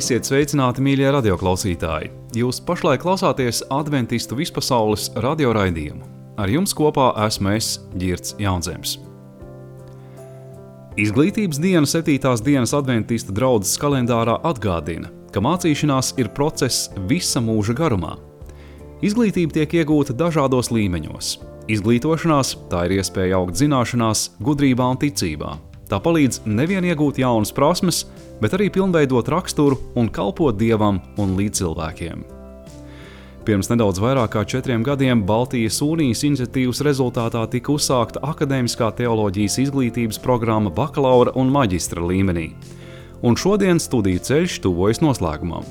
Esiet sveicināti, mīļie radioklausītāji! Jūs pašlaik klausāties Adventistu vispasaules radioraidījumu. Ar jums kopā esmu es, Ģirds Jaunzems. Izglītības diena 7. dienas Adventistu draudzes kalendārā atgādina, ka mācīšanās ir process visa mūža garumā. Izglītība tiek iegūta dažādos līmeņos. Izglītošanās tā ir iespēja augt zināšanās, gudrībā un ticībā. Tā palīdz nevien iegūt jaunas prasmes, bet arī pilnveidot raksturu un kalpot Dievam un līdzcilvēkiem. Pirms nedaudz vairāk kā 4 gadiem Baltijas Unijas iniciatīvas rezultātā tika uzsākta akadēmiskā teoloģijas izglītības programma bakalaura un maģistra līmenī, un šodien studiju ceļš tuvojas noslēgumam.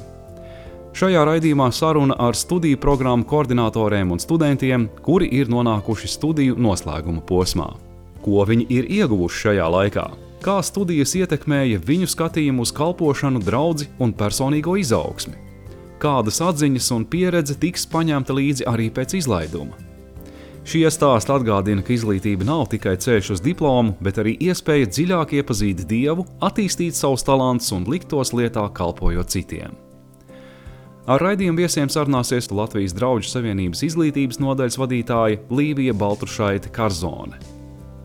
Šajā raidījumā saruna ar studiju programmu koordinatoriem un studentiem, kuri ir nonākuši studiju noslēguma posmā. Ko viņi ir ieguvuši šajā laikā? Kā studijas ietekmēja viņu skatījumu uz kalpošanu, draudzi un personīgo izaugsmi? Kādas atziņas un pieredze tiks paņemta līdzi arī pēc izlaiduma? Šie stāsti atgādina, ka izglītība nav tikai ceļš uz diplomu, bet arī iespēja dziļāk iepazīt Dievu, attīstīt savus talantus un likt tos lietā, kalpojot citiem. Ar raidījumu viesiem sarunāsies Latvijas Drauģu savienības izglītības nodaļas vadītāja Līvija Baltrušaite Karzone.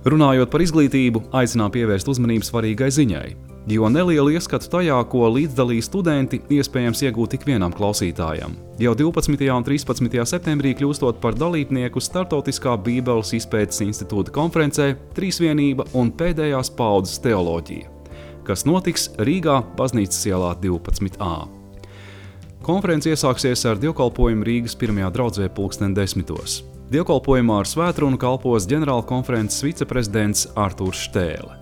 Runājot par izglītību, aicinām pievērst uzmanību svarīgai ziņai, jo nelielu ieskatu tajā, ko līdzdalīja studenti, iespējams iegūt tik vienam klausītājam. Jau 12. un 13. septembrī kļūstot par dalībnieku Startautiskā Bībeles izpētes institūta konferencē Trīsvienība un pēdējās paudzes teoloģija, kas notiks Rīgā Baznīcas ielā 12a. Konference iesāksies ar dievkalpojumu Rīgas 1. draudzē 10:00. Dievkalpojumā ar svētrunu kalpos ģenerāla konferences viceprezidents Artūrs Štēle.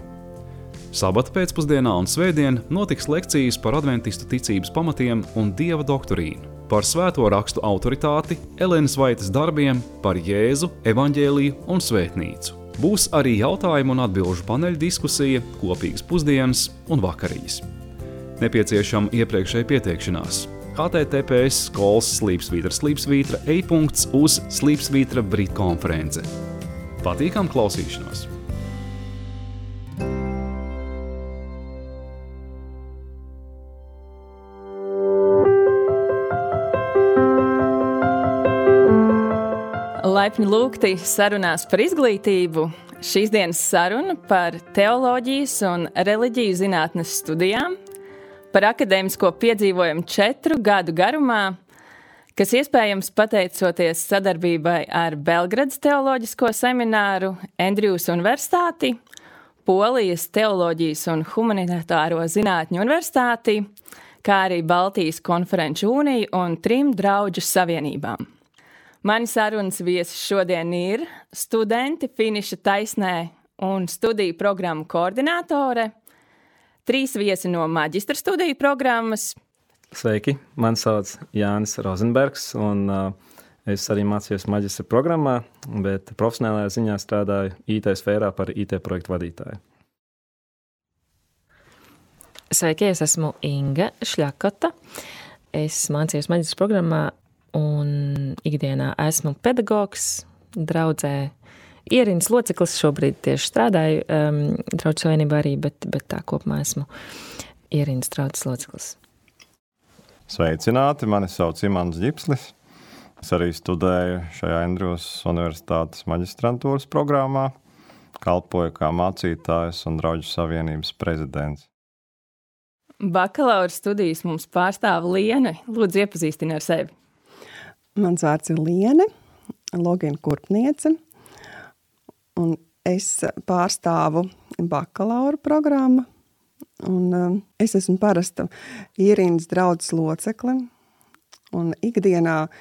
Sabata pēcpusdienā un svētdien notiks lekcijas par adventistu ticības pamatiem un Dieva doktrīnu, par svēto rakstu autoritāti, Elenas Vaitas darbiem, par Jēzu, evaņģēliju un svētnīcu. Būs arī jautājumu un atbilžu paneļa diskusija, kopīgas pusdienas un vakariņas. Nepieciešama iepriekšēja pieteikšanās. https skolas//e-punkts uz // Brit konference. Patīkam klausīšanos! Laipni lūgti sarunās par izglītību. Šīs dienas saruna par teoloģijas un reliģiju zinātnes studijām, par akadēmisko piedzīvojumu 4 gadu garumā, kas iespējams pateicoties sadarbībai ar Belgradas teoloģisko semināru, Andrjūs universitāti, Polijas teoloģijas un humanitāro zinātņu universitāti, kā arī Baltijas konferenču uniju un 3 draudžu savienībām. Mani sarunas viesi šodien ir studenti finiša taisnē un studiju programmu koordinātore, 3 viesi no maģistra studiju programmas. Sveiki, mani sauc Jānis Rozenbergs, un es arī mācījos maģistra programmā, bet profesionālajā ziņā strādāju IT sfērā par IT projektu vadītāju. Sveiki, es esmu Inga Šļakota. Es mācījos maģistra programmā un ikdienā esmu pedagogs, draudzē ierindas loceklis, šobrīd tieši strādāju Draudzes savienībā arī, bet tā kopumā esmu ierindas draudzes loceklis. Sveicināti, mani sauc Imants Ģipslis. Es arī studēju šajā Andrjūs universitātes maģistrantūras programmā, kalpoju kā mācītājs un Draudzes savienības prezidents. Bakalaura studijas mums pārstāv Liena. Lūdzu, iepazīstini ar sevi. Mans vārds ir Liene, logina kurpniece. Un es pārstāvu bakalaura programmu, un es esmu parasta ierindas draudzes locekle, un ikdienā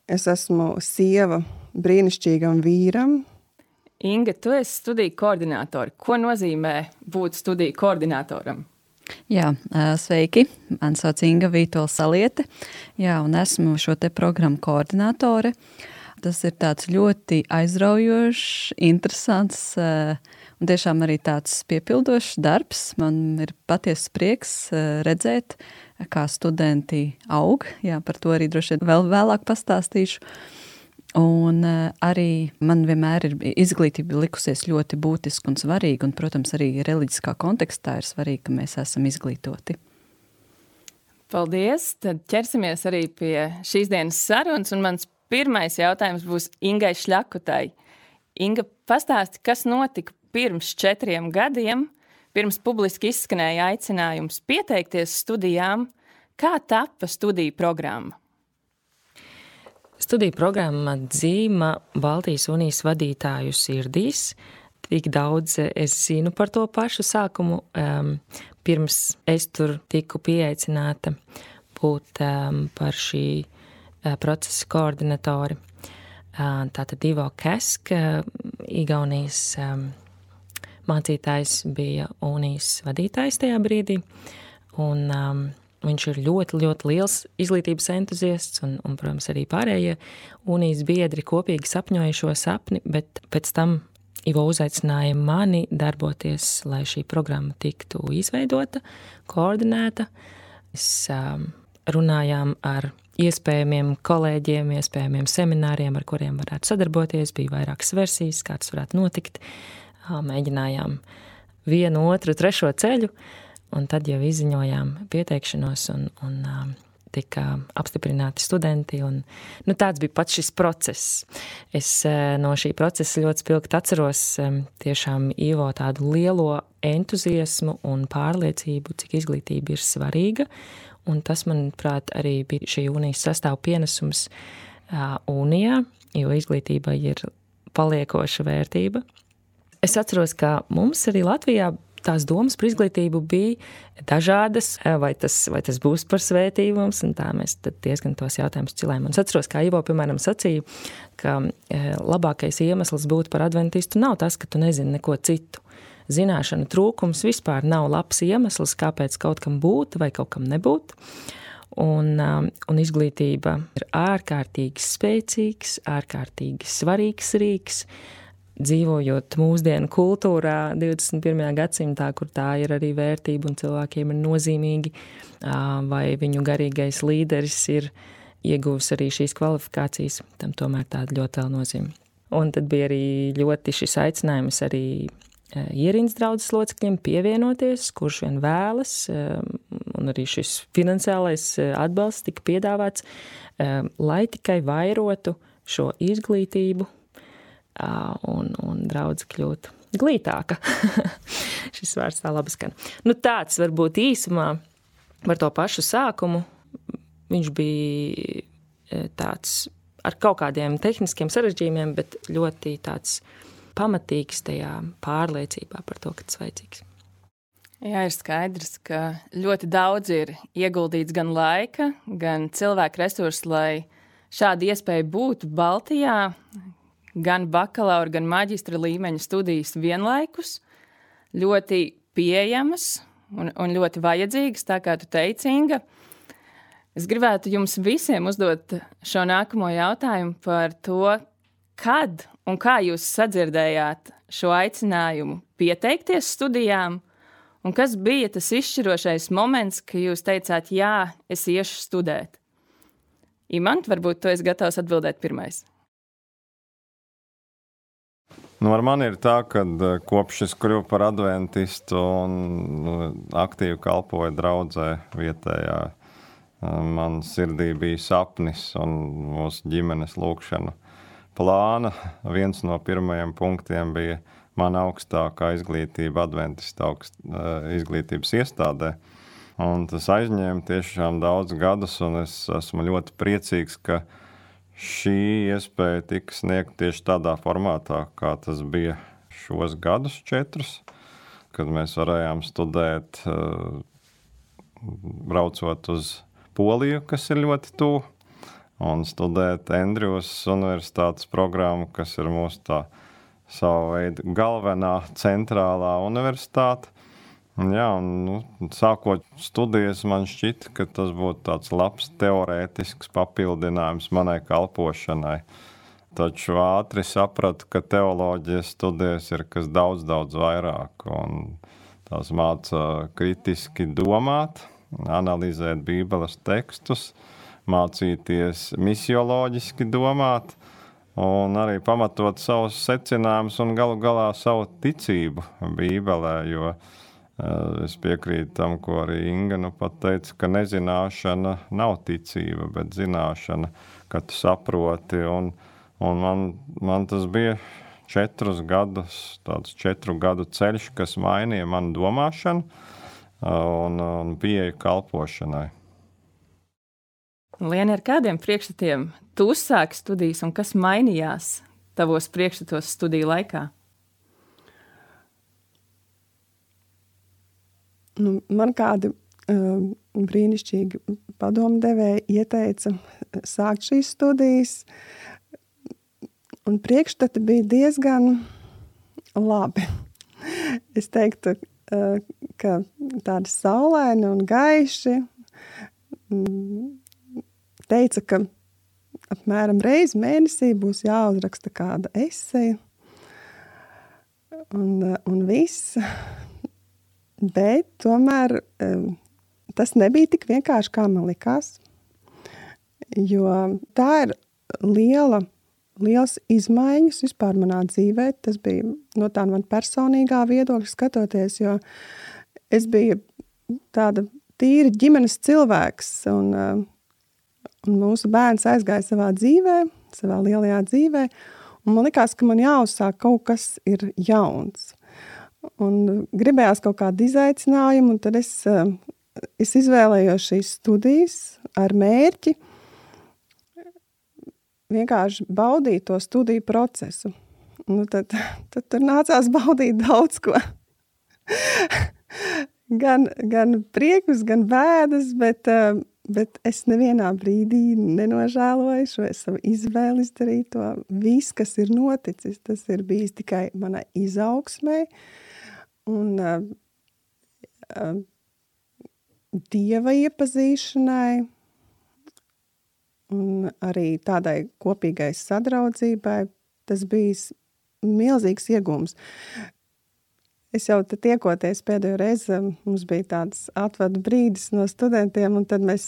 es esmu sieva brīnišķīgam vīram. Inga, tu esi studiju koordinātori. Ko nozīmē būt studiju koordinātoram? Jā, sveiki, man sauc Inga Vītola Saliete, un esmu šo te programmu koordinātore. Tas ir tāds ļoti aizraujošs, interesants un tiešām arī tāds piepildošs darbs. Man ir patiesas prieks redzēt, kā studenti aug. Jā, par to arī droši vien vēl vēlāk pastāstīšu. Un arī man vienmēr ir izglītība likusies ļoti būtiska un svarīga, un, protams, arī reliģiskā kontekstā ir svarīgi, ka mēs esam izglītoti. Paldies! Tad ķersimies arī pie šīs dienas sarunas, un mans pirmais jautājums būs Ingai Šļakotai. Inga, pastāsti, kas notika pirms 4 gadiem, pirms publiski izskanēja aicinājums pieteikties studijām, kā tapa studiju programma? Studiju programma dzīma Baltijas unijas vadītāju sirdīs. Tik daudz es zinu par to pašu sākumu. Pirms es tur tiku pieaicināta būt par šī procesa koordinatori. Tātad Ivo Kesk, Igaunijas mācītājs, bija unijas vadītājs tajā brīdī. Un viņš ir ļoti, ļoti liels izglītības entuziasts un, protams, arī pārējie unijas biedri kopīgi sapņoja šo sapni, bet pēc tam Ivo uzaicināja mani darboties, lai šī programma tiktu izveidota, koordinēta. Mēs runājām ar iespējamiem kolēģiem, iespējamiem semināriem, ar kuriem varētu sadarboties. Bija vairākas versijas, kā tas varētu notikt. Mēģinājām 1, 2, 3 ceļu, un tad jau izziņojām pieteikšanos un tika apstiprināti studenti. Un, tāds bija pats šis process. Es no šī procesa ļoti spilgti atceros tiešām Ivo tādu lielo entuziasmu un pārliecību, cik izglītība ir svarīga. Un tas, manuprāt, arī bija šī unijas sastāv pienesums unijā, jo izglītība ir paliekoša vērtība. Es atceros, ka mums arī Latvijā tās domas par izglītību bija dažādas, vai tas būs par svētību mums, un tā mēs tad diezgan tos jautājumus cilējam. Un es atceros, kā Ivo, piemēram, sacīja, ka labākais iemesls būt par adventistu nav tas, ka tu nezini neko citu. Zināšanu trūkums vispār nav labs iemesls, kāpēc kaut kam būt vai kaut kam nebūt. Un izglītība ir ārkārtīgi spēcīgs, ārkārtīgi svarīgs rīks, dzīvojot mūsdienu kultūrā 21. gadsimtā, kur tā ir arī vērtība un cilvēkiem ir nozīmīgi, vai viņu garīgais līderis ir ieguvis arī šīs kvalifikācijas, tam tomēr tāda ļoti liela nozīme. Un tad bija arī ļoti šis aicinājums arī ierindas draudzes locekļiem pievienoties, kurš vien vēlas, un arī šis finansiālais atbalsts tika piedāvāts, lai tikai vairotu šo izglītību, un draudze kļūt glītāka. Šis vārds tā labi skan. Tāds varbūt īsumā par to pašu sākumu. Viņš bija tāds ar kaut kādiem tehniskiem sarežģījumiem, bet ļoti tāds pamatīgs tajā pārliecībā par to, ka tas vajadzīgs. Jā, ir skaidrs, ka ļoti daudz ir ieguldīts gan laika, gan cilvēku resursu, lai šāda iespēja būtu Baltijā, gan bakalaura, gan maģistra līmeņa studijas vienlaikus, ļoti pieejamas un ļoti vajadzīgas, tā kā tu teici, Inga. Es gribētu jums visiem uzdot šo nākamo jautājumu par to, kad un kā jūs sadzirdējāt šo aicinājumu pieteikties studijām, un kas bija tas izšķirošais moments, ka jūs teicāt, jā, es iešu studēt. Imant, varbūt tu esi gatavs atbildēt pirmais. Ar mani ir tā, ka kopš es kļuvu par adventistu un aktīvi kalpoju draudzē vietējā, man sirdī bija sapnis un mūsu ģimenes lūkšana plāna. Viens no pirmajiem punktiem bija mana augstākā izglītība adventista izglītības iestādē. Un tas aizņēma tiešām daudz gadus, un es esmu ļoti priecīgs, ka šī iespēja tika sniegta tieši tādā formātā, kā tas bija šos gadus 4, kad mēs varējām studēt, braucot uz Poliju, kas ir ļoti tuvu, un studēt Andrjūs universitātes programmu, kas ir mūsu tā sava veida galvenā centrālā universitāte. Jā, un sākot studijas, man šķita, ka tas būtu tāds labs teorētisks papildinājums manai kalpošanai. Taču ātri sapratu, ka teoloģijas studijas ir kas daudz vairāk, un tās māca kritiski domāt, analizēt Bībeles tekstus, mācīties misioloģiski domāt, un arī pamatot savus secinājumus un galu galā savu ticību Bībelē, jo Es piekrītu tam, ko arī Inga pat teica, ka nezināšana nav ticība, bet zināšana, ka tu saproti. Un man tas bija 4 gadus, tāds 4 gadu ceļš, kas mainīja manu domāšanu un pieeju kalpošanai. Liena, ar kādiem priekšstatiem tu uzsāki studijas un kas mainījās tavos priekšstatos studiju laikā? Man kādi brīnišķīgi padomdevēji ieteica sākt šīs studijas, un priekšstati bija diezgan labi. Es teiktu, ka tādi saulaini un gaiši, teica, ka apmēram reizi mēnesī būs jāuzraksta kāda eseja, un viss. Bet tomēr tas nebija tik vienkārši, kā man likās, jo tā ir liels izmaiņas vispār manā dzīvē. Tas bija no tā man personīgā viedokļa skatoties, jo es biju tāda tīri ģimenes cilvēks, un mūsu bērns aizgāja savā dzīvē, savā lielajā dzīvē, un man likās, ka man jāuzsāk kaut kas ir jauns. Un gribējās kaut kādu izaicinājumu, un tad es izvēlējos šīs studijas ar mērķi vienkārši baudīt to studiju procesu. Tad tur nācās baudīt daudz ko. gan priekus, gan bēdas, bet es nevienā brīdī nenožēloju šo savu izvēli izdarīt to. Viss, kas ir noticis, tas ir bijis tikai manai izaugsmai, un Dieva iepazīšanai, un arī tādai kopīgai sadraudzībai. Tas bijis milzīgs iegūms. Es jau te tiekoties pēdējo reizi, mums bija tāds atvadu brīdis no studentiem, un tad mēs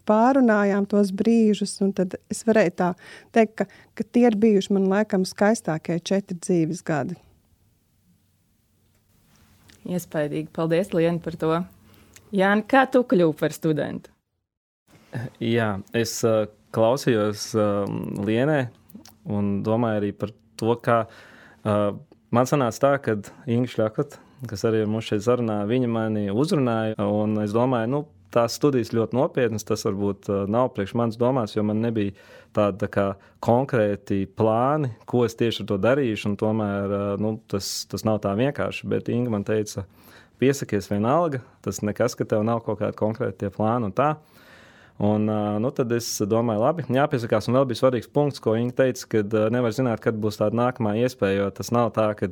pārunājām tos brīžus, un tad es varēju tā teikt, ka tie ir bijuši man laikam skaistākie 4 dzīves gadi. Iespaidīgi. Paldies, Liena, par to. Jāni, kā tu kļuvi par studentu? Jā, es klausījos Lienē un domāju arī par to, kā man sanāca tā, kad Inga Šļakota, kas arī ar mums šeit sarunā, viņa mani uzrunāja, un es domāju, tās studijas ļoti nopietnas, tas varbūt nav priekš manas domās, jo man nebija tāda kā konkrēti plāni, ko es tieši ar to darīšu, un tomēr tas nav tā vienkārši, bet Inga man teica, piesakies vienalga, tas nekas, ka tev nav kaut kādi konkrēti tie plāni un tā. Un tad es domāju, labi, jāpiesakās, un vēl bija svarīgs punkts, ko Inga teica, kad nevar zināt, kad būs tāda nākamā iespēja, jo tas nav tā, ka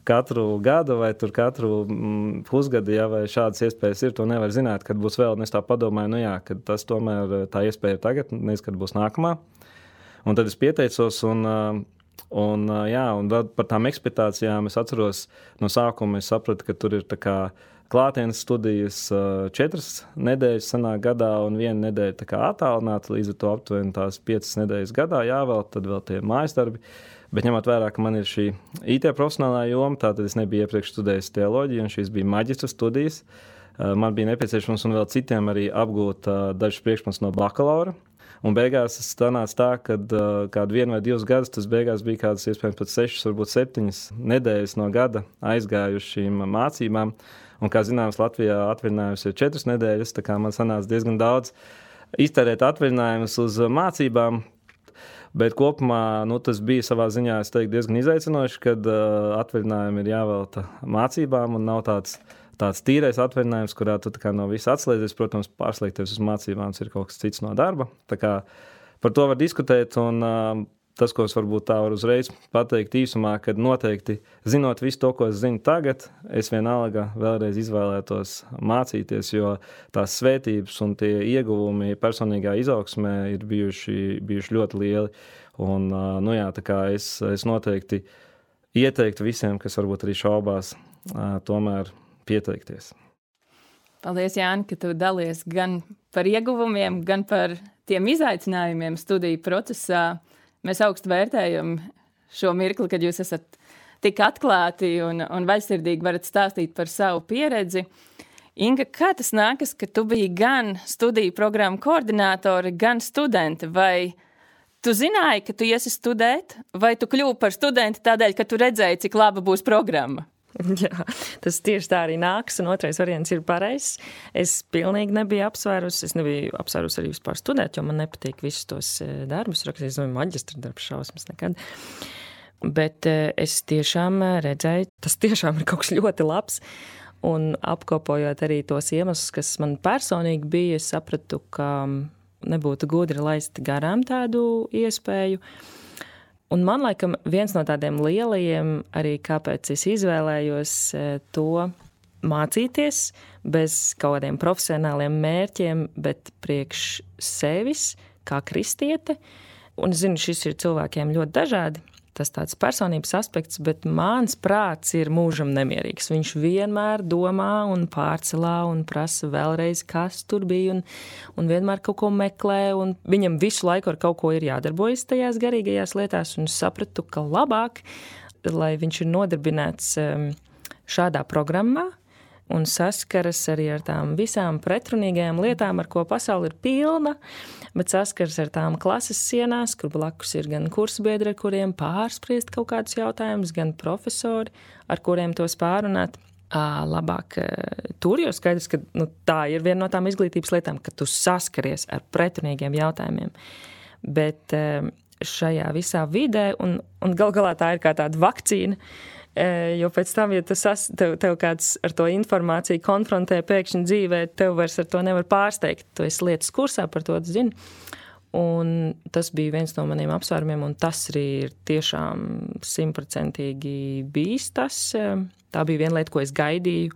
katru gadu vai tur katru pusgadu, ja, vai šādas iespējas ir, to nevar zināt, kad būs vēl, un es tā padomāju, kad tas tomēr tā iespēja ir tagad, nezinu, kad būs nākamā. Un tad es pieteicos, un vēl par tām ekspektācijām es atceros no sākuma, es sapratu, ka tur ir tā kā klātienes studijas 4 nedēļas sanāk gadā un 1 nedēļa tā kā attālināta, līdz ar to aptuveni tās 5 nedēļas gadā jāvēl, tad vēl tie mājas darbi. Bet ņemot vērā, ka man ir šī IT profesionālā joma, tātad es nebiju iepriekš studējis teoloģiju, un šīs bija maģistra studijas. Man bija nepieciešams un vēl citiem arī apgūt dažus priekšmetus no bakalaura. Un beigās tas sanāca tā, ka kādu 1 vai 2 gadus, tas beigās bija kādas iespējams pat 6, varbūt 7 nedēļas no gada aizgāju uz šīm mācībām. Un, kā zināms, Latvijā atvaļinājums ir 4 nedēļas, tā kā man sanāca diezgan daudz iztērēt atvaļinājumus uz mācībām. Bet kopumā tas bija savā ziņā, es teiktu, diezgan izaicinoši, kad atvaļinājumi ir jāvelta mācībām un nav tāds tīrais atvaļinājums, kurā tu tā kā no visa atslēdzies. Protams, pārslēgties uz mācībām ir kaut kas cits no darba. Tā kā par to var diskutēt, un tas, ko es varbūt tā varu uzreiz pateikt īsumā, kad noteikti, zinot visu to, ko es zinu tagad, es vienalga vēlreiz izvēlētos mācīties, jo tās svētības un tie ieguvumi personīgā izaugsmē ir bijuši ļoti lieli. Un, tā kā es noteikti ieteiktu visiem, kas varbūt arī šaubās, tomēr pieteikties. Paldies, Jāni, ka tu dalies gan par ieguvumiem, gan par tiem izaicinājumiem studiju procesā. Mēs augstu vērtējam šo mirkli, kad jūs esat tik atklāti un vaļsirdīgi varat stāstīt par savu pieredzi. Inga, kā tas nākas, ka tu biji gan studiju programmu koordinātore, gan studente? Vai tu zināji, ka tu iesi studēt, vai tu kļuvi par studenti tādēļ, ka tu redzēji, cik laba būs programma? Jā, tas tieši tā arī nāks, un otrais variants ir pareizs. Es pilnīgi nebiju apsvērusi, arī vispār studēt, jo man nepatīk visus tos darbus rakstīt, es domāju, maģistra darbs šausmas nekad. Bet es tiešām redzēju, tas tiešām ir kaut kas ļoti labs, un apkopojot arī tos iemeslus, kas man personīgi bija, es sapratu, ka nebūtu gudri laist garām tādu iespēju. Un man laikam viens no tādiem lielajiem arī, kāpēc es izvēlējos to mācīties bez kaut kādiem profesionāliem mērķiem, bet priekš sevis, kā kristiete. Un es zinu, šis ir cilvēkiem ļoti dažādi. Tas tāds personības aspekts, bet mans prāts ir mūžam nemierīgs. Viņš vienmēr domā un pārcelā un prasa vēlreiz, kas tur bija, un vienmēr kaut ko meklē, un viņam visu laiku ar kaut ko ir jādarbojas tajās garīgajās lietās, un sapratu, ka labāk, lai viņš ir nodarbināts šādā programmā, un saskaras arī ar tām visām pretrunīgajām lietām, ar ko pasauli ir pilna, bet saskaras ar tām klases sienās, kur blakus ir gan kursbiedri, ar kuriem pārspriest kaut kādus jautājumus, gan profesori, ar kuriem tos pārunāt. Labāk tur, jo skaidrs, ka tā ir viena no tām izglītības lietām, ka tu saskaries ar pretrunīgiem jautājumiem. Bet šajā visā vidē, un gal galā tā ir kā tāda vakcīna, jo pēc tam, ja tev kāds ar to informāciju konfrontē pēkšņi dzīvē, tev vairs ar to nevar pārsteigt. Tu esi lietas kursā, par to zini. Un tas bija viens no maniem apsvērumiem, un tas arī ir tiešām 100% bijis tas. Tā bija viena lieta, ko es gaidīju,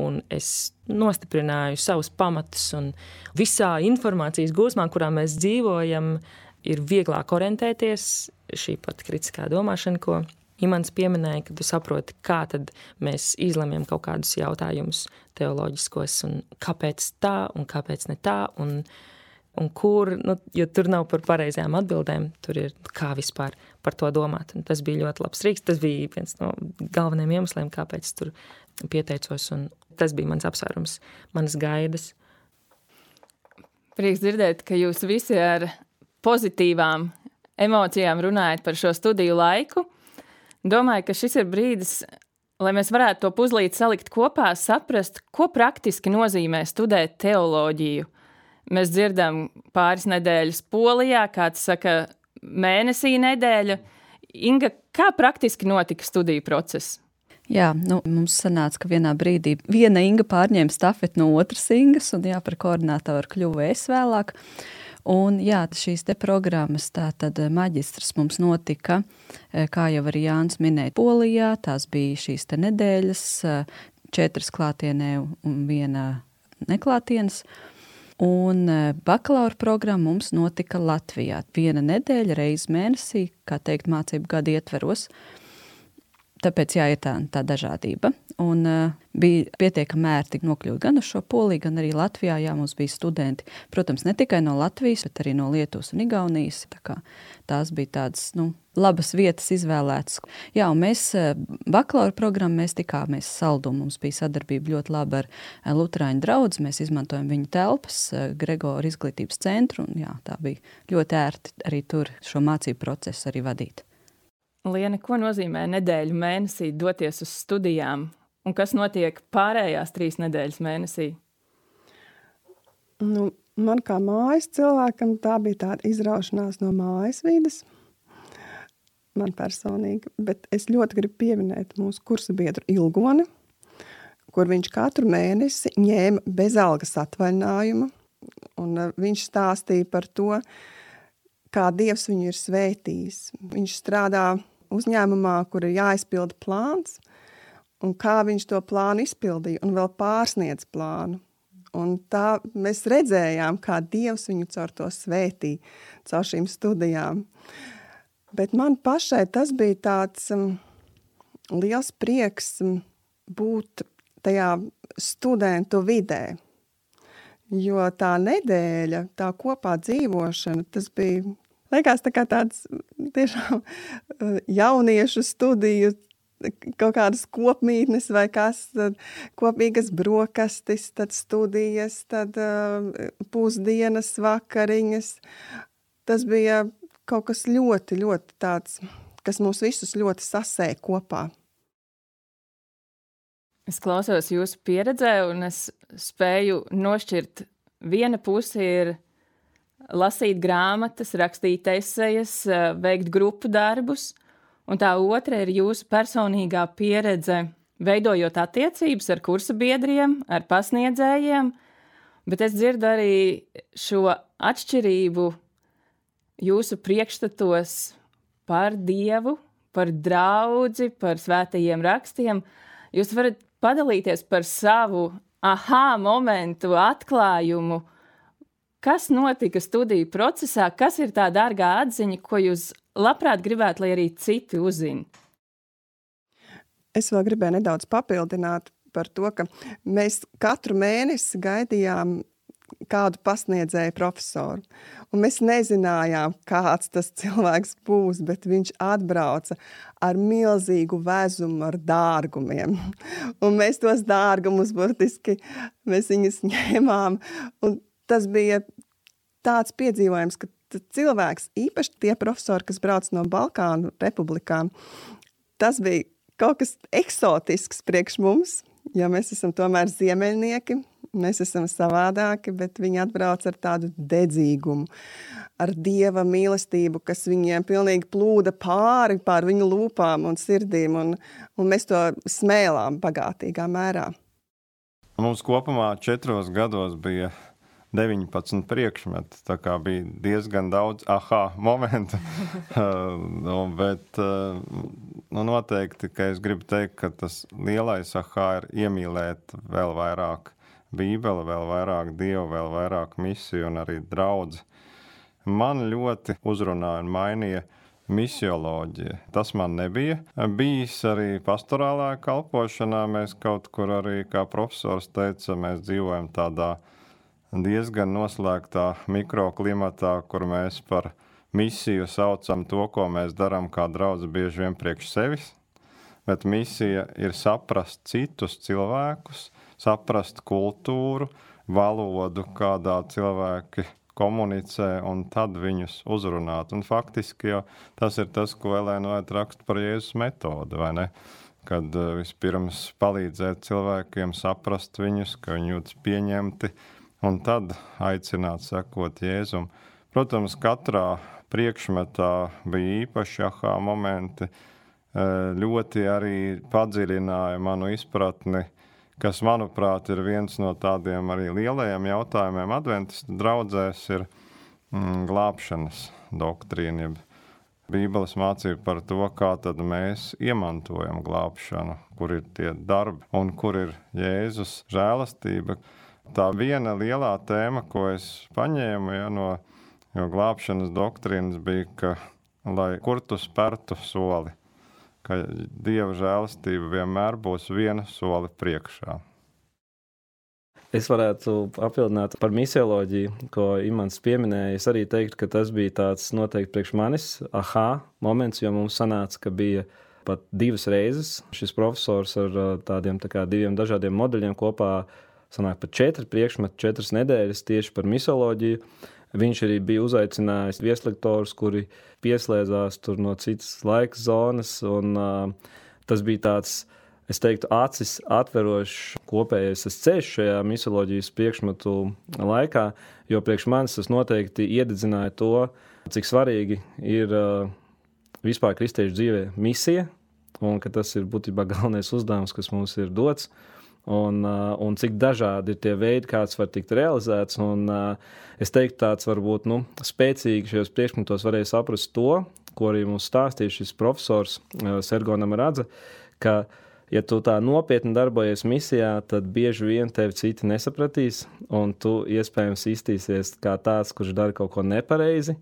un es nostiprināju savus pamatus, un visā informācijas gūsmā, kurā mēs dzīvojam, ir vieglāk orientēties, šī pat kritiskā domāšana, ko Imants pieminēja, ka tu saproti, kā tad mēs izlemjam kaut kādus jautājumus teoloģiskos, un kāpēc tā, un kāpēc ne tā, un kur, jo tur nav par pareizajām atbildēm, tur ir kā vispār par to domāt. Un tas bija ļoti labs rīks, tas bija viens no galvenajiem iemesliem, kāpēc tur pieteicos, un tas bija mans apsvērums, manas gaidas. Prieks dzirdēt, ka jūs visi ar pozitīvām emocijām runājat par šo studiju laiku. Domāju, ka šis ir brīdis, lai mēs varētu to puzlīt salikt kopā, saprast, ko praktiski nozīmē studēt teoloģiju. Mēs dzirdam pāris nedēļas Polijā, kāds saka mēnesī nedēļa. Inga, kā praktiski notika studiju process? Jā, mums sanāca, ka vienā brīdī viena Inga pārņēma stafeti no otras Ingas, un par koordinātoru kļuvu es vēlāk. Un jā, šīs te programmas, tātad maģistrs mums notika, kā jau arī Jānis minēja, Polijā. Tās bija šīs te nedēļas, 4 klātienē un 1 neklātienes. Un bakalaura programma mums notika Latvijā. 1 nedēļa reiz mēnesī, kā teikt, mācību gadu ietveros. Tāpēc jā, ir tā dažādība. Un bija pietiekami ērti nokļūt gan uz šo Poliju, gan arī Latvijā. Jā, mums bija studenti, protams, ne tikai no Latvijas, bet arī no Lietuvas un Igaunijas. Tā kā tās bija tādas, labas vietas izvēlētas. Jā, un mēs bakalaura programmu mēs tikāmies Saldumu. Mums bija sadarbība ļoti laba ar Luterāņu draudzi. Mēs izmantojam viņu telpas, Gregora izglītības centru. Un jā, tā bija ļoti ērti arī tur šo mācību procesu arī vadīt. Liene, ko nozīmē nedēļu mēnesī doties uz studijām? Un kas notiek pārējās 3 nedēļas mēnesī? Man kā mājas cilvēkam tā bija tāda izraušanās no mājas vides. Man personīgi. Bet es ļoti gribu pieminēt mūsu kursa biedru Ilgoni, kur viņš katru mēnesi ņēma bezalgas atvaļinājumu. Un viņš stāstīja par to, kā Dievs viņu ir svētījis. Viņš strādā uzņēmumā, kur ir jāizpilda plāns, un kā viņš to plānu izpildīja, un vēl pārsniedz plānu. Un tā mēs redzējām, kā Dievs viņu caur to svētīja, caur šīm studijām. Bet man pašai tas bija tāds liels prieks būt tajā studentu vidē. Jo tā nedēļa, tā kopā dzīvošana, tas bija, liekas, tā kā tāds tiešām jauniešu studiju kaut kādas kopmītnes vai kas, tad kopīgas brokastis, tad studijas, tad pusdienas, vakariņas. Tas bija kaut kas ļoti, ļoti tāds, kas mūs visus ļoti sasēja kopā. Es klausos jūsu pieredzē, un es spēju nošķirt, viena puse ir lasīt grāmatas, rakstīt esejas, veikt grupu darbus, un tā otra ir jūsu personīgā pieredze, veidojot attiecības ar kursa biedriem, ar pasniedzējiem, bet es dzirdu arī šo atšķirību jūsu priekšstatos par Dievu, par draudzi, par svētajiem rakstiem. Jūs varat padalīties par savu momentu, atklājumu. Kas notika studiju procesā? Kas ir tā dārgā atziņa, ko jūs labprāt gribētu, lai arī citi uzzina? Es vēl gribēju nedaudz papildināt par to, ka mēs katru mēnesi gaidījām kādu pasniedzēju profesoru. Un mēs nezinājām, kāds tas cilvēks būs, bet viņš atbrauca ar milzīgu vezumu, ar dārgumiem. Un mēs tos dārgumus burtiski, mēs viņus ņēmām. Un tas bija tāds piedzīvojums, ka cilvēks, īpaši tie profesori, kas brauc no Balkānu republikām, tas bija kaut kas eksotisks priekš mums, jo mēs esam tomēr ziemeļnieki, mēs esam savādāki, bet viņi atbrauc ar tādu dedzīgumu, ar Dieva mīlestību, kas viņiem pilnīgi plūda pār viņu lūpām un sirdīm, un mēs to smēlām bagātīgā mērā. Mums kopumā 4 gados bija 19 priekšmeti, tā kā bija diezgan daudz momentu, bet noteikti, ka es gribu teikt, ka tas lielais ir iemīlēt vēl vairāk Bībeli, vēl vairāk Dievu, vēl vairāk misiju un arī draudzi. Man ļoti uzrunāja un mainīja misioloģija. Tas man nebija bijis arī pastorālā kalpošanā. Mēs kaut kur arī, kā profesors teica, mēs dzīvojam tādā diezgan noslēgtā mikroklimatā, kur mēs par misiju saucam to, ko mēs darām kā draudzi bieži vien priekš sevis. Bet misija ir saprast citus cilvēkus, saprast kultūru, valodu, kādā cilvēki komunicē, un tad viņus uzrunāt. Un faktiski jau tas ir tas, ko Elēna Vaita raksta par Jēzus metodi, vai ne? Kad vispirms palīdzēt cilvēkiem saprast viņus, ka viņi jūtas pieņemti, un tad aicināt sekot Jēzum. Protams, katrā priekšmetā bija īpaši momenti, ļoti arī padziļināja manu izpratni, kas, manuprāt, ir viens no tādiem arī lielajiem jautājumiem adventistu draudzēs, ir glābšanas doktrīna. Bībeles mācība par to, kā tad mēs iemantojam glābšanu, kur ir tie darbi un kur ir Jēzus žēlastība. Tā viena lielā tēma, ko es paņēmu no glābšanas doktrīnas, bija, ka, lai kur tu spērtu soli, ka Dieva žēlastība vienmēr būs viena soli priekšā. Es varētu papildināt par misioloģiju, ko Imants pieminēja. Es arī teiktu, ka tas bija tāds noteikti priekš manis moments, jo mums sanāca, ka bija pat 2 reizes šis profesors ar tādiem 2 dažādiem modeļiem kopā sanāk pat 4 priekšmeti, 4 nedēļas tieši par misioloģiju. Viņš arī bija uzaicinājis vieslektorus, kuri pieslēdzās tur no citas laika zonas, un tas bija tāds, es teiktu, acis atverošs kopējais ceļš šajā misioloģijas priekšmetu laikā, jo priekš manis tas noteikti iededzināja to, cik svarīgi ir vispār kristiešu dzīvē misija, un ka tas ir būtībā galvenais uzdevums, kas mums ir dots. Un cik dažādi ir tie veidi, kāds var tikt realizēts. Un es teiktu, tāds varbūt spēcīgi šajos priekšmetos varēja saprast to, ko arī mums stāstīja šis profesors Sergo Namaradze, ka, ja tu tā nopietni darbojies misijā, tad bieži vien tevi citi nesapratīs, un tu iespējams iztīsies kā tāds, kurš dara kaut ko nepareizi,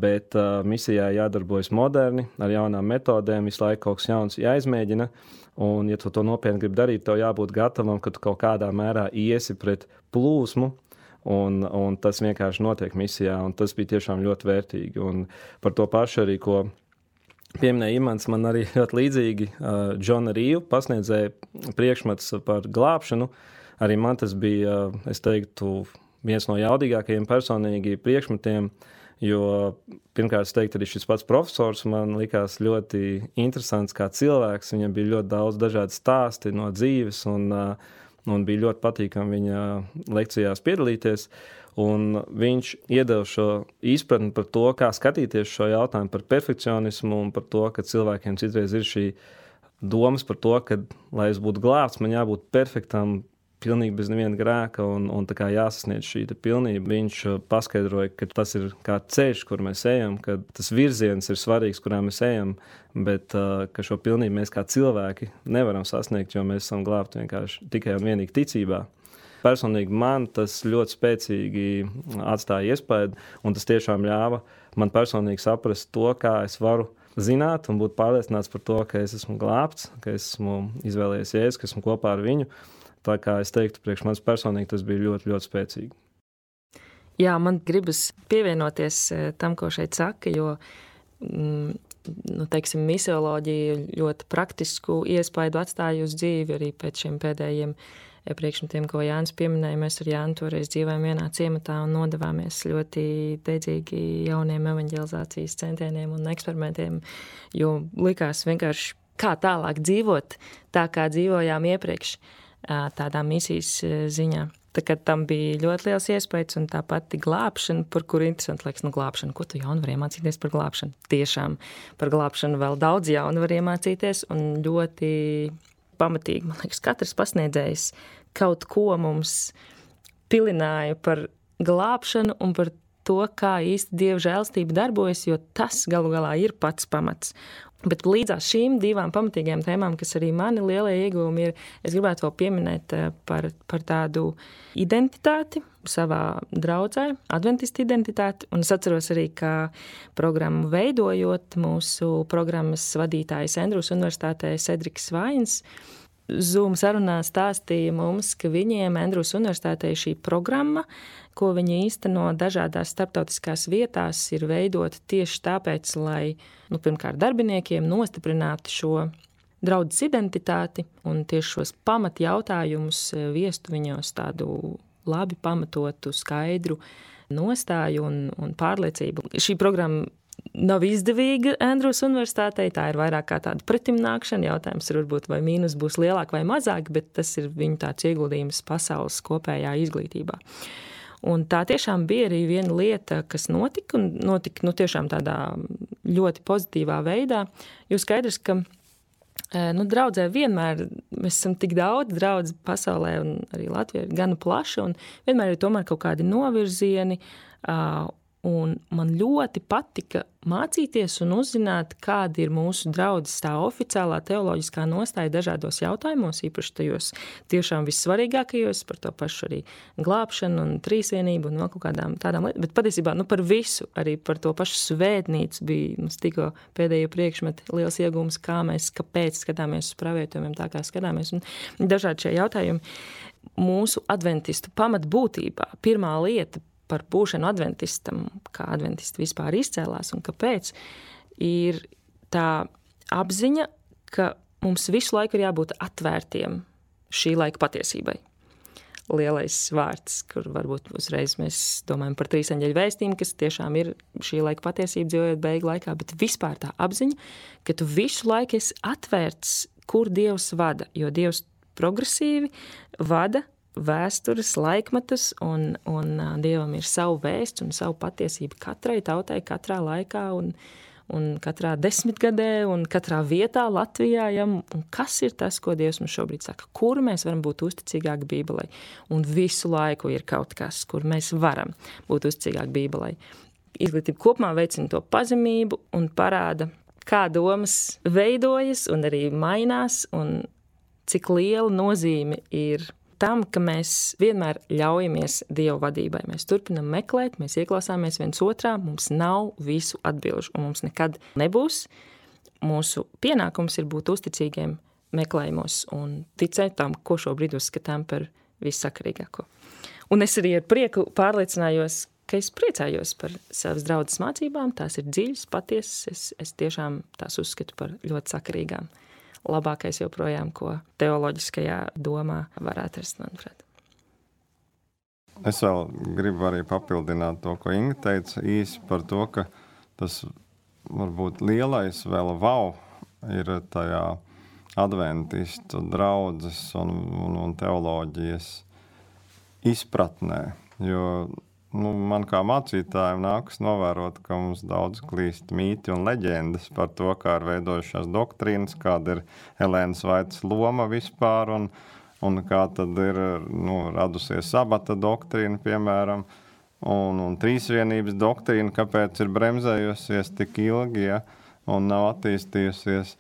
bet misijā jādarbojas moderni, ar jaunām metodēm, visu laiku kaut kas jauns jāizmēģina. Un, ja tu to nopietni gribi darīt, tev jābūt gatavam, ka tu kaut kādā mērā iesi pret plūsmu, un tas vienkārši notiek misijā, un tas bija tiešām ļoti vērtīgi. Un par to pašu arī, ko pieminēja Imants, man arī ļoti līdzīgi Džona Rīva pasniedzēja priekšmets par glābšanu. Arī man tas bija, es teiktu, viens no jaudīgākajiem personīgi priekšmetiem, jo pirmkārt, es teiktu, arī šis pats profesors man likās ļoti interesants kā cilvēks. Viņam bija ļoti daudz dažādi stāsti no dzīves un bija ļoti patīkami viņa lekcijās piedalīties. Un viņš iedeva šo izpratni par to, kā skatīties šo jautājumu par perfekcionismu un par to, ka cilvēkiem citreiz ir šī domas par to, ka, lai es būtu glābts, man jābūt perfektam, pilnīgi bez neviena grēka un tā kā jāsasniedz šī pilnība. Viņš paskaidroja, ka tas ir kā ceļš, kur mēs ejam, ka tas virziens ir svarīgs, kurā mēs ejam, bet ka šo pilnību mēs kā cilvēki nevaram sasniegt, jo mēs esam glābti vienkārši tikai un vienīgi ticībā. Personīgi man tas ļoti spēcīgi atstāja iespēju, un tas tiešām ļāva man personīgi saprast to, kā es varu zināt un būt pārliecināts par to, ka es esmu glābts, ka es esmu izvēlējies Jēzu, ka esmu kopā ar viņu. Tā kā es teiktu, priekš manis personīgi tas bija ļoti, ļoti spēcīgi. Jā, man gribas pievienoties tam, ko šeit saka, jo, teiksim, misioloģija ļoti praktisku iespaidu atstāja uz dzīvi arī pēc šiem pēdējiem priekšmetiem, ko Jānis pieminēja. Mēs ar Jānu toreiz dzīvojam vienā ciematā un nodevāmies ļoti deidzīgi jauniem evaņģelizācijas centieniem un eksperimentiem, jo likās vienkārši kā tālāk dzīvot, tā kā dzīvojām iepriekš tādā misijas ziņā. Tā kā tam bija ļoti liels iespējas un tā pati glābšana, par kuru interesanti liekas, glābšana. Ko tu jaunu var iemācīties par glābšanu? Tiešām par glābšanu vēl daudz jaunu var iemācīties un ļoti pamatīgi, man liekas, katrs pasniedzējs kaut ko mums pilināja par glābšanu un par to, kā īsti Dieva žēlstība darbojas, jo tas galu galā ir pats pamats. Bet līdzās šīm divām pamatīgajām tēmām, kas arī mani lielie ieguvumi ir, es gribētu vēl pieminēt par tādu identitāti savā draudzē, adventistu identitāti. Un es atceros arī, ka programmu veidojot, mūsu programmas vadītājs Andrūs Universitātē Cedriks Vains Zoom sarunā stāstīja mums, ka viņiem Andrūs Universitātē šī programma, ko viņi īsteno dažādās starptautiskās vietās, ir veidota tieši tāpēc, lai, pirmkārt, darbiniekiem nostiprinātu šo draudzes identitāti un tieši šos pamatjautājumus viestu viņos tādu labi pamatotu, skaidru nostāju un pārliecību. Šī programma nav izdevīga Andrūs Universitātei, tā ir vairāk kā tāda pretimnākšana. Jautājums ir varbūt, vai mīnus būs lielāk vai mazāk, bet tas ir viņu tāds ieguldījums pasaules kopējā izglītībā. Un tā tiešām bija arī viena lieta, kas notika tiešām tādā ļoti pozitīvā veidā, jo skaidrs, ka draudzē vienmēr mēs esam tik daudz draudz pasaulē un arī Latvijā ir gana plaša un vienmēr ir tomēr kaut kādi novirzieni, un man ļoti patika mācīties un uzzināt, kāda ir mūsu draudzes tā oficiālā teoloģiskā nostāja dažādos jautājumos, īpaši tajos tiešām vissvarīgākajos, par to pašu arī glābšanu un trīsvienību un vēl kaut kādām tādām lietām, bet patiesībā par visu, arī par to pašu svētnīcu bija mums tikko pēdējo priekšmeti liels iegūms, kāpēc skatāmies uz pravietojumiem tā, kā skatāmies, un dažādi šie jautājumi. Mūsu adventistu pamatbūtībā pirmā lieta par būšanu adventistam, kā adventisti vispār izcēlās un kāpēc, ir tā apziņa, ka mums visu laiku ir jābūt atvērtiem šī laika patiesībai. Lielais vārds, kur varbūt uzreiz mēs domājam par trīseņģeļu vēstījumu, kas tiešām ir šī laika patiesība dzīvojot beigu laikā, bet vispār tā apziņa, ka tu visu laiku esi atvērts, kur Dievs vada, jo Dievs progresīvi vada vēstures, laikmetus, un Dievam ir savu vēsts un savu patiesību katrai tautai, katrā laikā un katrā desmitgadē un katrā vietā Latvijā. Ja? Un kas ir tas, ko Dievs mums šobrīd saka? Kur mēs varam būt uzticīgāki Bībelei? Un visu laiku ir kaut kas, kur mēs varam būt uzticīgāki Bībelei. Izglītība kopumā veicina to pazemību un parāda, kā domas veidojas un arī mainās un cik liela nozīme ir tam, ka mēs vienmēr ļaujamies Dieva vadībai. Mēs turpinam meklēt, mēs ieklausāmies viens otrā, mums nav visu atbilžu, un mums nekad nebūs. Mūsu pienākums ir būt uzticīgiem meklējumos un ticēt tam, ko šobrīd uzskatām par vissakarīgāko. Un es arī ar prieku pārliecinājos, ka es priecājos par savas draudzes mācībām. Tās ir dziļas, patiesas. Es tiešām tās uzskatu par ļoti sakarīgām. Labākais joprojām, ko teoloģiskajā domā var atrast, manuprāt. Es vēl gribu arī papildināt to, ko Inga teica īsi par to, ka tas varbūt lielais vēl wow ir tajā adventistu draudzes un teoloģijas izpratnē. Jo man kā mācītājiem nākas novērot, ka mums daudz klīst mīti un leģendas par to, kā ir veidojušās doktrīnas, kāda ir Elēnas Vaitas loma vispār un kā tad ir radusies sabata doktrīna, piemēram, un trīsvienības doktrīna, kāpēc ir bremzējusies tik ilgi, un nav attīstījusies.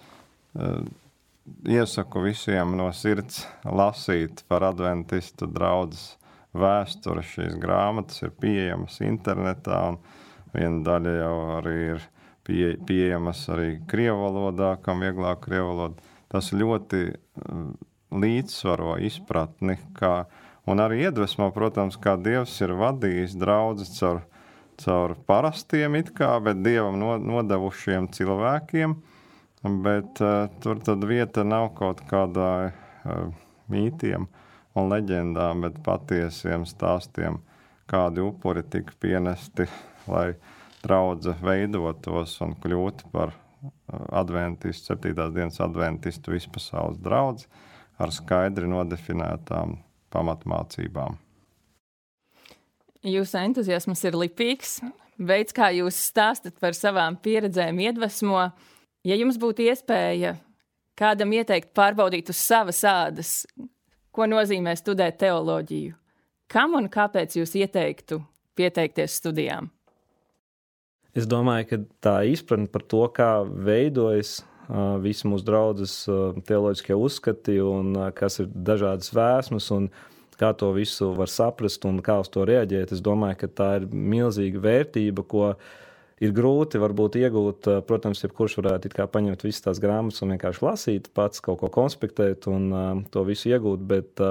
Iesaku visiem no sirds lasīt par adventistu draudzes vēsturi. Šīs grāmatas ir pieejamas internetā, un viena daļa jau arī ir pieejamas arī krievu valodā, kam vieglāk krievu valoda. Tas ļoti līdzsvaro izpratni, un arī iedvesmo, protams, kā Dievs ir vadījis draudzes caur parastiem bet Dievam nodevušiem cilvēkiem, bet tur tad vieta nav kaut kādai mītiem un leģendām, bet patiesiem stāstiem, kādi upuri tika pienesti, lai draudze veidotos un kļūtu par adventistu, 7. dienas adventistu vispasaules draudzi, ar skaidri nodefinētām pamatmācībām. Jūsu entuziasms ir lipīgs. Veids, kā jūs stāstat par savām pieredzēm, iedvesmo. Ja jums būtu iespēja kādam ieteikt pārbaudīt uz savas ādas, ko nozīmē studēt teoloģiju, kam un kāpēc jūs ieteiktu pieteikties studijām? Es domāju, ka tā izpratne par to, kā veidojas visi mūsu draudzes teoloģiskie uzskati un kas ir dažādas vēsmas un kā to visu var saprast un kā uz to reaģēt. Es domāju, ka tā ir milzīga vērtība, ko ir grūti varbūt iegūt. Protams, jebkurš varētu it kā paņemt visas tās grāmatas un vienkārši lasīt, pats kaut ko konspektēt un to visu iegūt, bet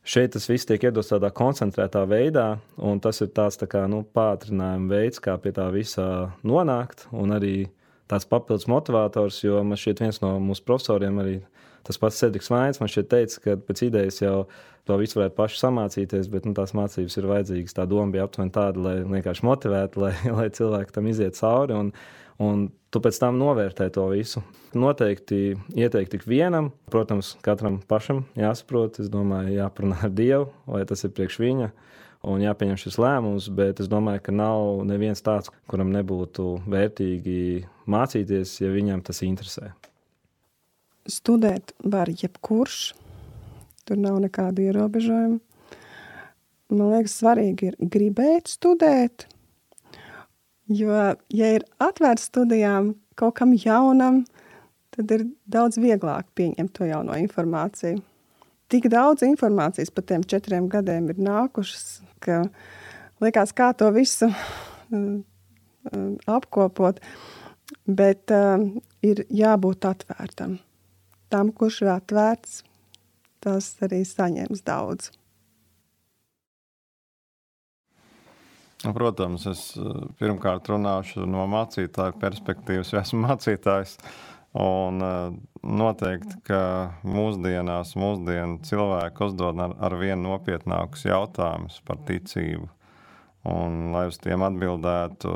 šeit tas viss tiek iedots tādā koncentrētā veidā, un tas ir tāds tā kā, pātrinājuma veids, kā pie tā visā nonākt, un arī tāds papildus motivators, jo man šķiet viens no mūsu profesoriem arī tas pats Cedriks Vains, man šķiet teica, ka pēc idejas jau to visu varētu paši samācīties, bet tās mācības ir vajadzīgas. Tā doma bija aptuveni tāda, lai vienkārši motivētu, lai cilvēki tam iziet cauri, un tu pēc tam novērtē to visu. Noteikti ieteikt tik vienam, protams, katram pašam jāsaprot, es domāju, jāparunā ar Dievu, vai tas ir priekš viņa, un jāpieņem šis lēmums, bet es domāju, ka nav neviens tāds, kuram nebūtu vērtīgi mācīties, ja viņam tas interesē. Studēt var jebkurš, tur nav nekāda ierobežojuma. Man liekas, svarīgi ir gribēt studēt, jo, ja ir atvērts studijām kaut kam jaunam, tad ir daudz vieglāk pieņemt to jauno informāciju. Tik daudz informācijas par tiem 4 gadiem ir nākušas, ka liekas, kā to visu apkopot, bet ir jābūt atvērtam. Tam, kurš ir atvērts, tas arī saņems daudz. Protams, es pirmkārt runāšu no mācītāja perspektīvas, jo esmu mācītājs. Un noteikti, ka mūsdienu cilvēki uzdod ar vien nopietnākus jautājumus par ticību. Un, lai uz tiem atbildētu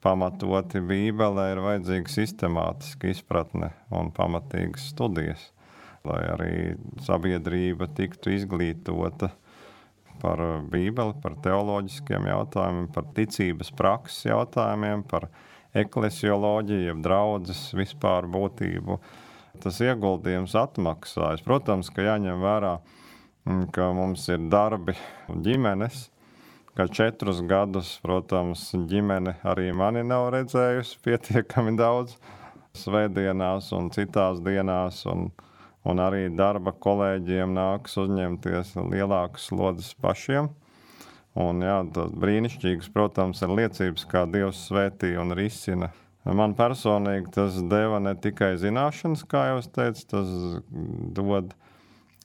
pamatoti Bībelē, ir vajadzīga sistemātiska izpratne un pamatīgas studijas, lai arī sabiedrība tiktu izglītota par Bībeli, par teoloģiskiem jautājumiem, par ticības prakses jautājumiem, par eklesioloģiju, jeb draudzes vispār būtību. Tas ieguldījums atmaksājas. Protams, ka jāņem vērā, ka mums ir darbi un ģimenes, ka 4 gadus, protams, ģimene arī mani nav redzējusi pietiekami daudz svētdienās un citās dienās, un arī darba kolēģiem nāks uzņemties lielākas slodzes pašiem. Un jā, tas brīnišķīgs, protams, ir liecības, kā Dievs svētī un risina. Man personīgi tas deva ne tikai zināšanas, kā jau es teicu, tas dod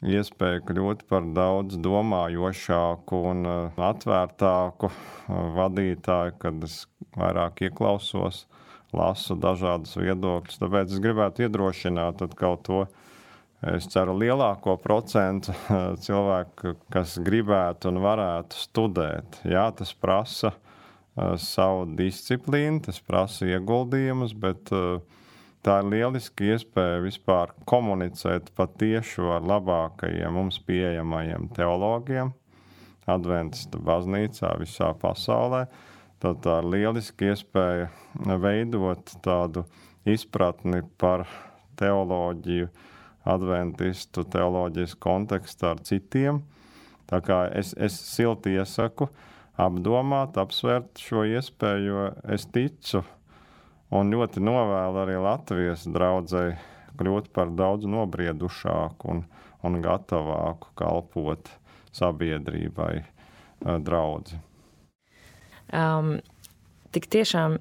iespēju kļūt par daudz domājošāku un atvērtāku vadītāju, kad es vairāk ieklausos, lasu dažādus viedokļus. Tāpēc es gribētu iedrošināt atkal to, es ceru, lielāko procentu cilvēku, kas gribētu un varētu studēt. Jā, tas prasa savu disciplīnu, tas prasa ieguldījumus, bet tā ir lieliski iespēja vispār komunicēt patieši ar labākajiem mums pieejamajiem teologiem Adventistu baznīcā visā pasaulē. Tad tā ir lieliski iespēja veidot tādu izpratni par teoloģiju, adventistu teoloģijas kontekstā ar citiem. Tā kā es silti iesaku apdomāt, apsvērt šo iespēju, jo es ticu un ļoti novēlu arī Latvijas draudzei kļūt par daudz nobriedušāku un gatavāku kalpot sabiedrībai draudzi. Tik tiešām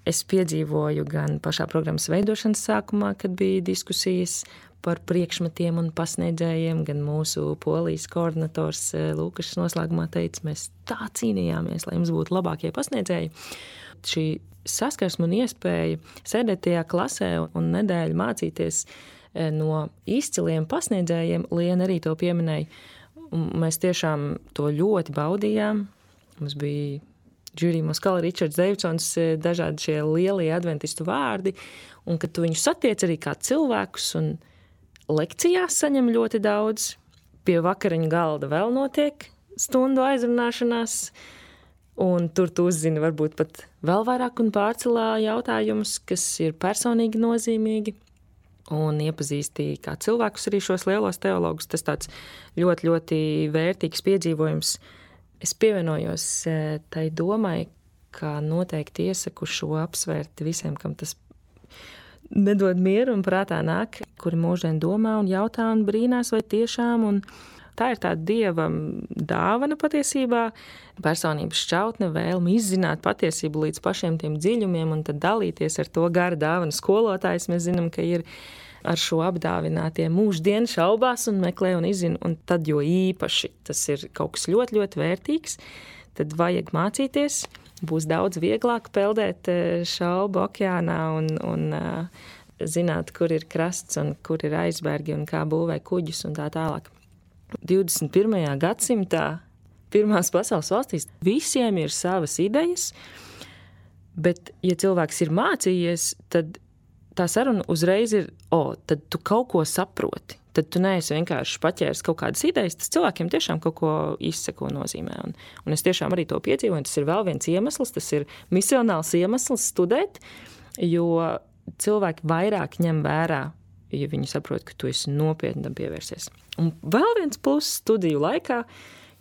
es piedzīvoju gan pašā programmas veidošanas sākumā, kad bija diskusijas par priekšmetiem un pasniedzējiem, gan mūsu polijas koordinators Lūkašs noslēgumā teica, mēs tā cīnījāmies, lai jums būtu labākie pasniedzēji. Šī saskarsme un iespēja sēdēt tajā klasē un nedēļu mācīties no izciliem pasniedzējiem, Liena arī to pieminēja. Mēs tiešām to ļoti baudījām. Mums bija Džurija Moskala, Ričards Deividsons, dažādi šie lielie adventistu vārdi, un kad tu viņus satiec arī kā cilvēkus un lekcijās saņem ļoti daudz, pie vakariņu galda vēl notiek stundu aizrunāšanās, un tur tu uzzini varbūt pat vēl vairāk un pārcelā jautājumus, kas ir personīgi nozīmīgi, un iepazīstīja kā cilvēkus arī šos lielos teologus. Tas tāds ļoti, ļoti vērtīgs piedzīvojums. Es pievienojos tai domai, ka noteikti iesaku šo apsvērt visiem, kam tas nedod mieru un prātā nāk, kuri mūždien domā un jautā un brīnās, vai tiešām, un tā ir tāda Dieva dāvana patiesībā, personības šķautne, vēlme izzināt patiesību līdz pašiem tiem dziļumiem un tad dalīties ar to gara dāvanu skolotājs. Mēs zinām, ka ir ar šo apdāvinātie mūždien šaubās un meklē un izzina, un tad jo īpaši tas ir kaut kas ļoti, ļoti vērtīgs, tad vajag mācīties. Būs daudz vieglāk peldēt šaubu okeānā un zināt, kur ir krasts un kur ir aizbergi un kā būvē kuģus un tā tālāk. 21. gadsimtā pirmās pasaules valstīs visiem ir savas idejas, bet, ja cilvēks ir mācījies, tad tā saruna uzreiz ir, tad tu kaut ko saproti. Tad tu neesi vienkārši paķēris kaut kādas idejas, tas cilvēkiem tiešām kaut ko izseko nozīmē. Un es tiešām arī to piedzīvoju, tas ir vēl viens iemesls, tas ir misionāls iemesls studēt, jo cilvēki vairāk ņem vērā, ja viņi saprot, ka tu esi nopietni tam pievērsies. Un vēl viens pluss studiju laikā,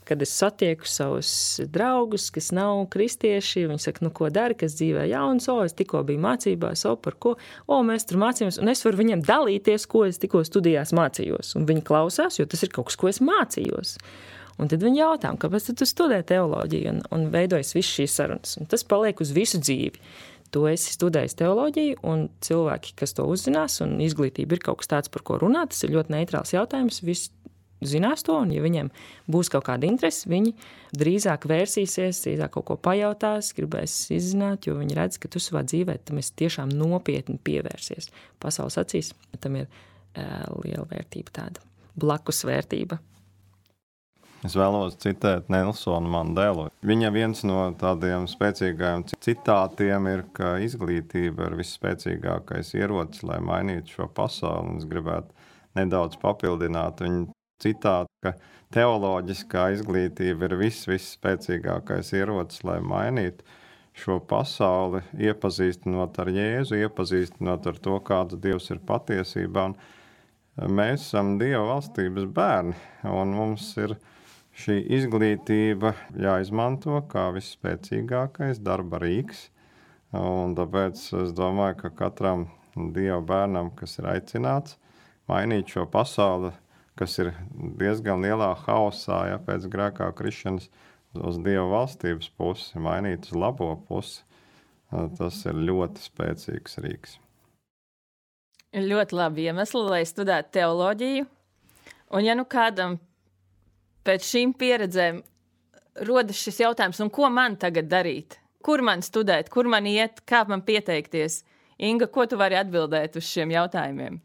kad es satieku savus draugus, kas nav kristieši, viņi saka, ko dari, kas dzīvē jauns, es tikko biju mācībās, par ko, mēs tur mācījāmies, un es varu viņiem dalīties, ko es tikko studijās mācījos, un viņi klausās, jo tas ir kaut kas, ko es mācījos. Un tad viņi jautā, kāpēc tu studē teoloģiju, un veidojas viss šīs sarunas, un tas paliek uz visu dzīvi. Tu esi studējis teoloģiju, un cilvēki, kas to uzzinās, un izglītība ir kaut kas tāds, par ko runāt, tas ir ļoti neitrāls jautājums, viss zinās to, un ja viņiem būs kaut kāda interese, viņi drīzāk vērsīsies, drīzāk kaut ko pajautās, gribēs izzināt, jo viņi redz, ka tu savā dzīvē tam esi tiešām nopietni pievērsies. Pasaules acīs tam ir liela vērtība tāda, blakus vērtība. Es vēlos citēt Nelsonu Mandelu. Viņa viens no tādiem spēcīgajiem citātiem ir, ka izglītība ir visspēcīgākais ierocis, lai mainītu šo pasauli. Es gribētu nedaudz papildināt viņu citātu, ka teoloģiskā izglītība ir visspēcīgākais ierocis, lai mainītu šo pasauli, iepazīstinot ar Jēzu, iepazīstinot ar to, kāds Dievs ir patiesībā. Un mēs esam Dieva valstības bērni, un mums ir šī izglītība jāizmanto kā visspēcīgākais darba rīks. Un tāpēc es domāju, ka katram Dieva bērnam, kas ir aicināts mainīt šo pasauli, kas ir diezgan lielā haosā, pēc grēkā krišanas, uz Dieva valstības pusi, mainīt uz labo pusi, tas ir ļoti spēcīgs rīks. Ir ļoti labi iemesli, lai studētu teoloģiju. Un ja nu kādam pēc šīm pieredzēm rodas šis jautājums, un ko man tagad darīt? Kur man studēt, kur man iet, kā man pieteikties? Inga, ko tu vari atbildēt uz šiem jautājumiem?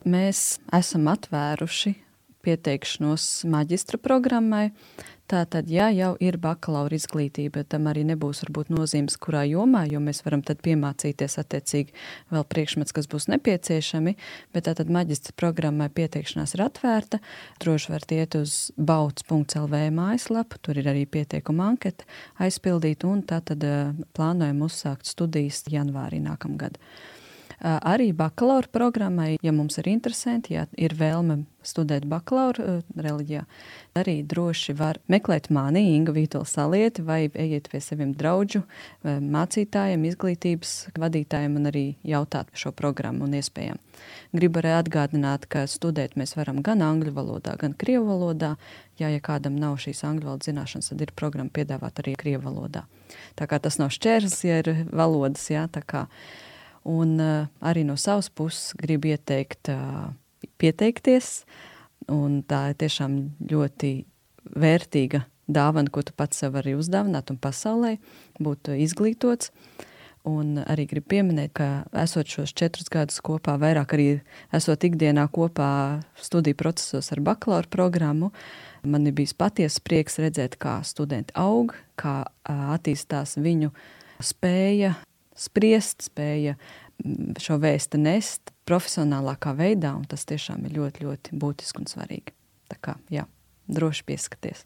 Mēs esam atvēruši pieteikšanos maģistra programmai. Tātad, ja jau ir bakalaura izglītība, tam arī nebūs varbūt nozīmes, kurā jomā, jo mēs varam tad piemācīties attiecīgi vēl priekšmets, kas būs nepieciešami, bet tātad maģistra programmai pieteikšanās ir atvērta. Droši var iet uz bauts.lv mājaslapu, tur ir arī pieteikuma anketa aizpildīt, un tātad plānojam uzsākt studijas janvārī nākamgad. Arī bakalaura programmai, ja mums ir interesanti, ja ir vēlme studēt bakalaura reliģijā, arī droši var meklēt mani, Inga Vītola Salieti, vai ejiet pie saviem draudžu, mācītājiem, izglītības vadītājiem un arī jautāt par šo programmu un iespējām. Gribu arī atgādināt, ka studēt mēs varam gan angļu valodā, gan krievu valodā. Ja kādam nav šīs angļu valodas zināšanas, tad ir programma piedāvāt arī krievu valodā. Tā kā tas nav šķērslis, ja ir valodas, jā, tā kā. Un arī no savas puses gribu ieteikt pieteikties, un tā ir tiešām ļoti vērtīga dāvana, ko tu pats sev arī uzdāvināt un pasaulē, būt izglītots. Un arī gribu pieminēt, ka esot šos 4 gadus kopā, vairāk arī esot ikdienā kopā studiju procesos ar bakalaura programmu, man ir bijis patiesas prieks redzēt, kā studenti aug, kā attīstās viņu spēja spriest, spēja šo vēstu nest profesionālākā veidā, un tas tiešām ir ļoti, ļoti būtiski un svarīgi. Tā kā, jā, droši pieskaties.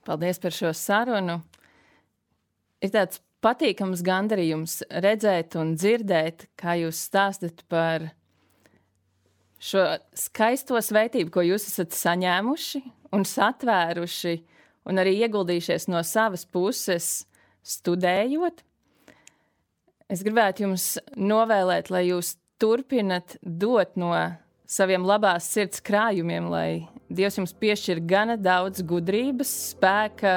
Paldies par šo sarunu. Ir tāds patīkams gandarījums redzēt un dzirdēt, kā jūs stāstat par šo skaisto svētību, ko jūs esat saņēmuši un satvēruši, un arī ieguldījušies no savas puses studējot. Es gribētu jums novēlēt, lai jūs turpinat dot no saviem labās sirds krājumiem, lai Dievs jums piešķir gana daudz gudrības, spēka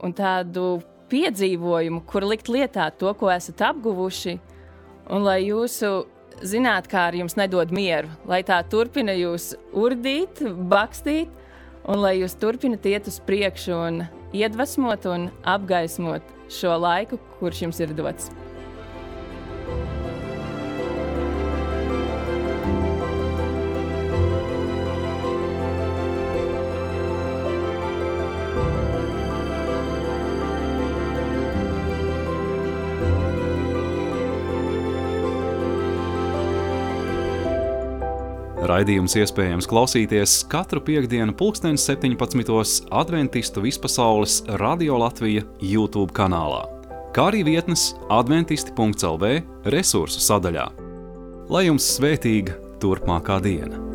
un tādu piedzīvojumu, kur likt lietā to, ko esat apguvuši, un lai jūsu zinātkāri jums nedod mieru, lai tā turpina jūs urdīt, bakstīt, un lai jūs turpinat iet uz priekšu un iedvesmot un apgaismot šo laiku, kurš jums ir dots. Raidījums iespējams klausīties katru piektdienu 17:00 Adventistu vispasaules Radio Latvija YouTube kanālā, kā arī vietnes adventisti.lv resursu sadaļā. Lai jums svētīga turpmākā diena!